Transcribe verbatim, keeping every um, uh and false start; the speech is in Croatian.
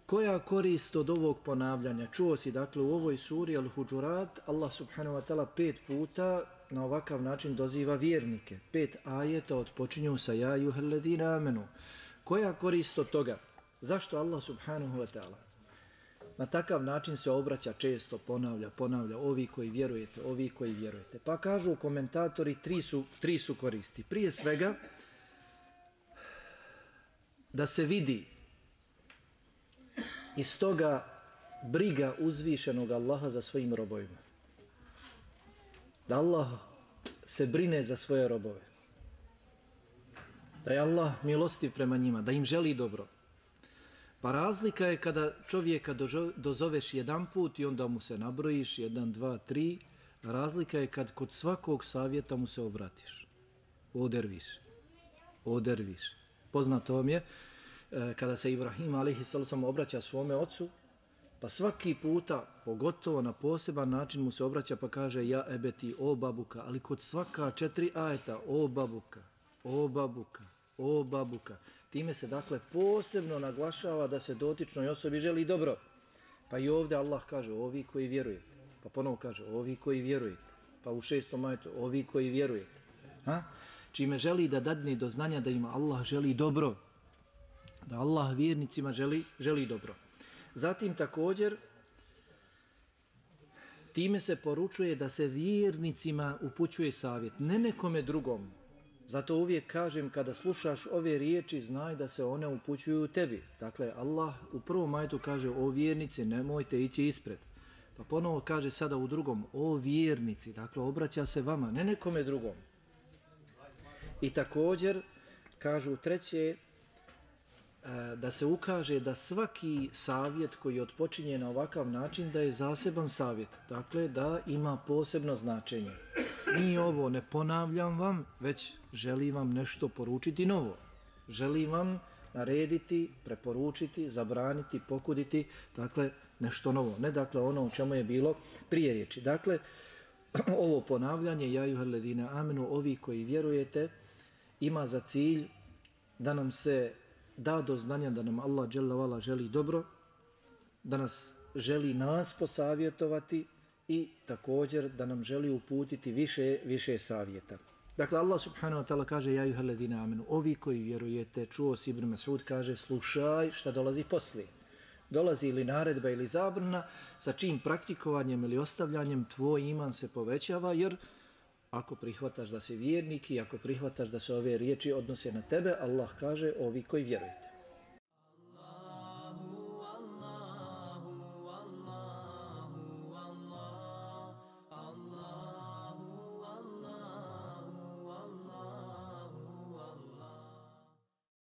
Koja korist od ovog ponavljanja? Čuo si dakle u ovoj suri Al-Huđurat Allah subhanahu wa ta'ala pet puta na ovakav način doziva vjernike. Pet ajeta odpočinju sa ja ejuhalladina amenu. Koja korist od toga? Zašto Allah subhanahu wa ta'ala na takav način se obraća često, ponavlja, ponavlja, ovi koji vjerujete, ovi koji vjerujete? Pa kažu komentatori, tri su, tri su koristi. Prije svega, da se vidi iz toga briga uzvišenog Allaha za svojim robovima. Da Allah se brine za svoje robove. Da je Allah milostiv prema njima, da im želi dobro. Pa razlika je kada čovjeka dozoveš jedan put i onda mu se nabrojiš, jedan, dva, tri. Razlika je kad kod svakog savjeta mu se obratiš. Oderviš. Oderviš. Poznato vam je, kada se Ibrahim alejhiselam obraća svome ocu, pa svaki puta, pogotovo na poseban način mu se obraća pa kaže ja ebeti, o babuka, ali kod svaka četiri ajeta, o babuka, o babuka, o babuka. Time se dakle posebno naglašava da se dotičnoj osobi želi dobro. Pa i ovdje Allah kaže ovi koji vjerujete, pa ponovo kaže ovi koji vjerujete, pa u šestom ajetu ovi koji vjerujete. Ha? Čime želi da dadne do znanja da ima Allah želi dobro, da Allah vjernicima želi, želi dobro. Zatim također time se poručuje da se vjernicima upućuje savjet, ne nekome drugom. Zato uvijek kažem kada slušaš ove riječi znaj da se one upućuju tebi. Dakle Allah u prvom ajetu kaže o vjernici nemojte ići ispred. Pa ponovo kaže sada u drugom o vjernici, dakle obraća se vama, ne nekome drugom. I također kažu treće da se ukaže da svaki savjet koji odpočinje na ovakav način da je zaseban savjet, dakle da ima posebno značenje. Nije ovo, ne ponavljam vam, već želim vam nešto poručiti novo. Želim vam narediti, preporučiti, zabraniti, pokuditi, dakle nešto novo. Ne dakle ono o čemu je bilo prije riječi. Dakle, ovo ponavljanje, ja ejuhalladina amenu, ovi koji vjerujete, ima za cilj da nam se da do znanja da nam Allah dželle vala želi dobro, da nas želi nas posavjetovati i također da nam želi uputiti više, više savjeta. Dakle, Allah subhanahu wa ta'ala kaže ja ejuhalladina amenu, ovi koji vjerujete, čuo si Ibn Mas'ud kaže slušaj šta dolazi poslije. Dolazi ili naredba ili zabrana sa čim praktikovanjem ili ostavljanjem tvoj iman se povećava, jer ako prihvataš da si vjernik i ako prihvataš da se ove riječi odnose na tebe, Allah kaže ovi koji vjerujete.